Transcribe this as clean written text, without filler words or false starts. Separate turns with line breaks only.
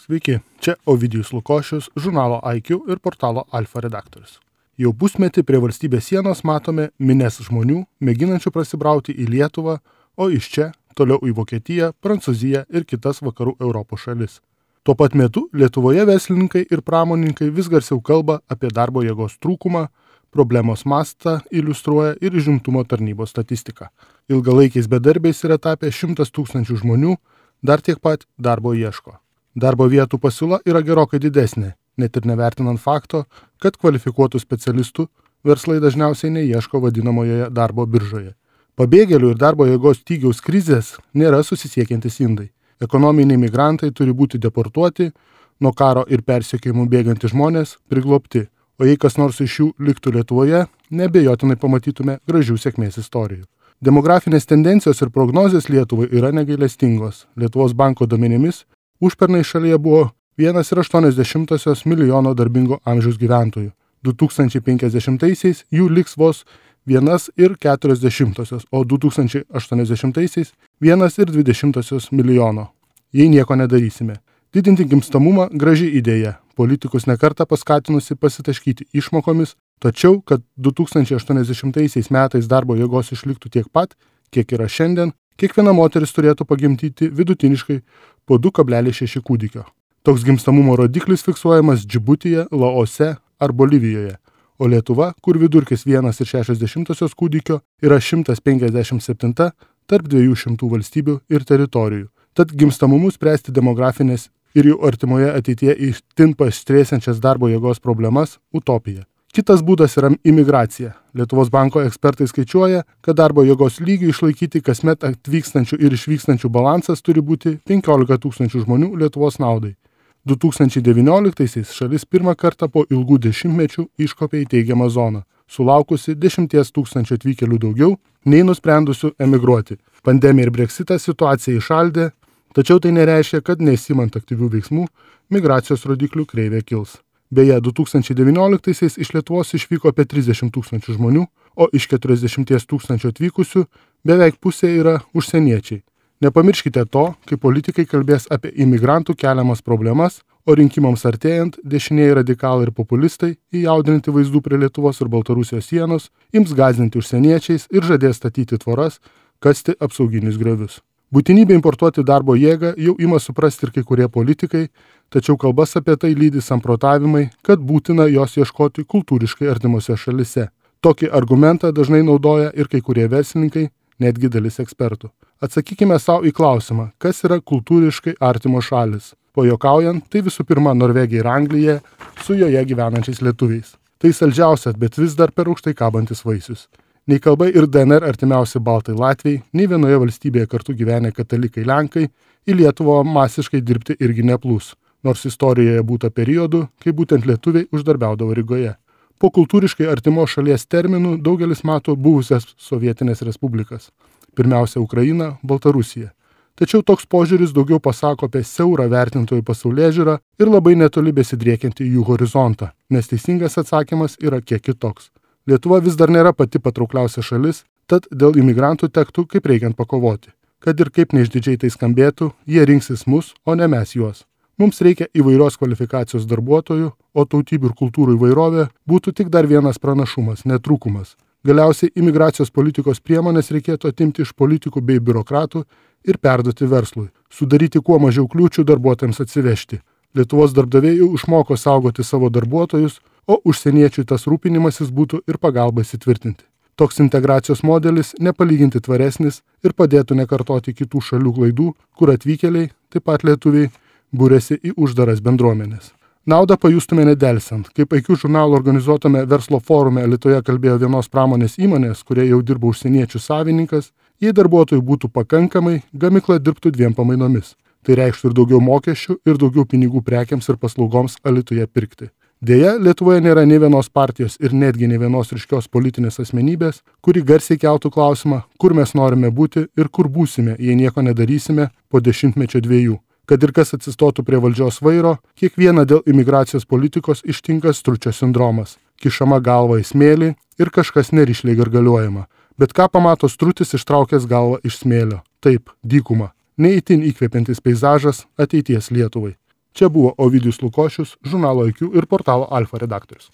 Sveiki, čia Ovidijus Lukošius, žurnalo IQ ir portalo Alfa redaktorius. Jau pusmetį prie valstybės sienos matome minias žmonių, mėginančių prasibrauti į Lietuvą, o iš čia toliau į Vokietiją, Prancūziją ir kitas vakarų Europos šalis. Tuo pat metu Lietuvoje verslininkai ir pramonininkai vis garsiau kalba apie darbo jėgos trūkumą, problemos mastą iliustruoja ir užimtumo tarnybos statistika. Ilgalaikiais bedarbiais yra tapę 100 000 žmonių, dar tiek pat darbo ieško. Darbo vietų pasiūla yra gerokai didesnė, net ir nevertinant fakto, kad kvalifikuotų specialistų verslai dažniausiai neieško vadinamojoje darbo biržoje. Pabėgėlių ir darbo jėgos stygiaus krizės nėra susisiekiantys indai. Ekonominiai migrantai turi būti deportuoti, nuo karo ir persekiojimų bėgantys žmonės priglobti, o jei kas nors iš jų liktų Lietuvoje, neabejotinai pamatytume gražių sėkmės istorijų. Demografinės tendencijos ir prognozės Lietuvai yra negailestingos. Lietuvos banko duomenimis užpernai šalyje buvo 1,8 milijono darbingo amžiaus gyventojų. 2050-aisiais jų liks vos 1,4, o 2080-aisiais 1,2 milijono. Jei nieko nedarysime. Didinti gimstamumą graži idėja. Politikus nekartą paskatinusi pasitaškyti išmokomis, tačiau, kad 2080 metais darbo jėgos išliktų tiek pat, kiek yra šiandien, kiekviena moteris turėtų pagimdyti vidutiniškai po 2,6 kūdikio. Toks gimstamumo rodiklis fiksuojamas Džibutyje, Laose ar Bolivijoje, o Lietuva, kur vidurkis 1,6 kūdikio, yra 157 tarp 200 valstybių ir teritorijų. Tad gimstamumu spręsti demografinės ir jų artimoje ateityje itin paaštrėsiančias darbo jėgos problemas – utopija. Kitas būdas yra imigracija. Lietuvos banko ekspertai skaičiuoja, kad darbo jėgos lygių išlaikyti kasmet atvykstančių ir išvykstančių balansas turi būti 15 000 žmonių Lietuvos naudai. 2019-aisiais šalis pirmą kartą po ilgų dešimtmečių iškopė į teigiamą zoną, sulaukusi 10 000 atvykėlių daugiau nei nusprendusių emigruoti. Pandemija ir Brexitas situaciją įšaldė, tačiau tai nereiškia, kad nesimant aktyvių veiksmų, migracijos rodiklių kreivė kils. Beje, 2019-aisiais iš Lietuvos išvyko apie 30 000 žmonių, o iš 40 000 atvykusių beveik pusė yra užsieniečiai. Nepamirškite to, kai politikai kalbės apie imigrantų keliamas problemas, o rinkimams artėjant dešinieji radikalai ir populistai, įjaudrinti vaizdų prie Lietuvos ir Baltarusijos sienos, ims gąsdinti užsieniečiais ir žadės statyti tvoras, kasti apsauginius griovius. Būtinybė importuoti darbo jėgą jau ima suprasti ir kai kurie politikai, tačiau kalbas apie tai lydi samprotavimai, kad būtina jos ieškoti kultūriškai artimose šalise. Tokį argumentą dažnai naudoja ir kai kurie verslininkai, netgi dalis ekspertų. Atsakykime savo į klausimą, kas yra kultūriškai artimos šalis. Pajuokaujant, tai visų pirma Norvegija ir Anglija su joje gyvenančiais lietuviais. Tai saldžiausias, bet vis dar per aukštai kabantis vaisius. Nei kalba ir DNR artimiausi baltai Latviai, nei vienoje valstybėje kartu gyvenę katalikai Lenkai į Lietuvą masiškai dirbti irgi neplūs, nors istorijoje būta periodų, kai būtent lietuviai uždarbiaudavo Rygoje. Po kultūriškai artimos šalies terminų daugelis mato buvusias sovietinės respublikas, pirmiausia Ukraina, Baltarusija. Tačiau toks požiūris daugiau pasako apie siaurą vertintojų pasaulėžiūrą ir labai netoli besidriekiantį jų horizontą, nes teisingas atsakymas yra kiek kitoks. Lietuva vis dar nėra pati patraukliausia šalis, tad dėl imigrantų tektų kaip reikiant pakovoti. Kad ir kaip neišdidžiai tai skambėtų, jie rinksis mus, o ne mes juos. Mums reikia įvairios kvalifikacijos darbuotojų, o tautybių ir kultūrų įvairovė būtų tik dar vienas pranašumas, netrūkumas. Galiausiai imigracijos politikos priemonės reikėtų atimti iš politikų bei biurokratų ir perduoti verslui, sudaryti kuo mažiau kliūčių darbuotojams atsivežti. Lietuvos darbdaviai jau išmoko saugoti savo darbuotojus, o užsieniečių tas rūpinimasis būtų ir pagalba įsitvirtinti. Toks integracijos modelis nepalyginti tvaresnis ir padėtų nekartoti kitų šalių klaidų, kur atvykėliai, taip pat lietuviai, būrėsi į uždaras bendruomenės. Naudą pajustume nedelsiant. Kaip IQ žurnalo organizuotame verslo forume Alytuje kalbėjo vienos pramonės įmonės, kurie jau dirba užsieniečių savininkas, jei darbuotojų būtų pakankamai, gamykla dirbtų 2 pamainomis. Tai reikštų ir daugiau mokesčių, ir daugiau pinigų prekiams ir paslaugoms Alytuje pirkti. Deja, Lietuvoje nėra nei vienos partijos ir netgi nei vienos ryškios politinės asmenybės, kuri garsiai keltų klausimą, kur mes norime būti ir kur būsime, jei nieko nedarysime po 10 metų. Kad ir kas atsistotų prie valdžios vairo, kiekvieną dėl imigracijos politikos ištinka stručio sindromas. Kišama galva į smėlį ir kažkas nerišliai gargaliuojama. Bet ką pamato strutis ištraukęs galvą iš smėlio? Taip, dykuma. Neįtin įkvepiantis peizažas ateities Lietuvai. Čia buvo Ovidijus Lukošius, žurnalo IQ ir portalo Alfa redaktorius.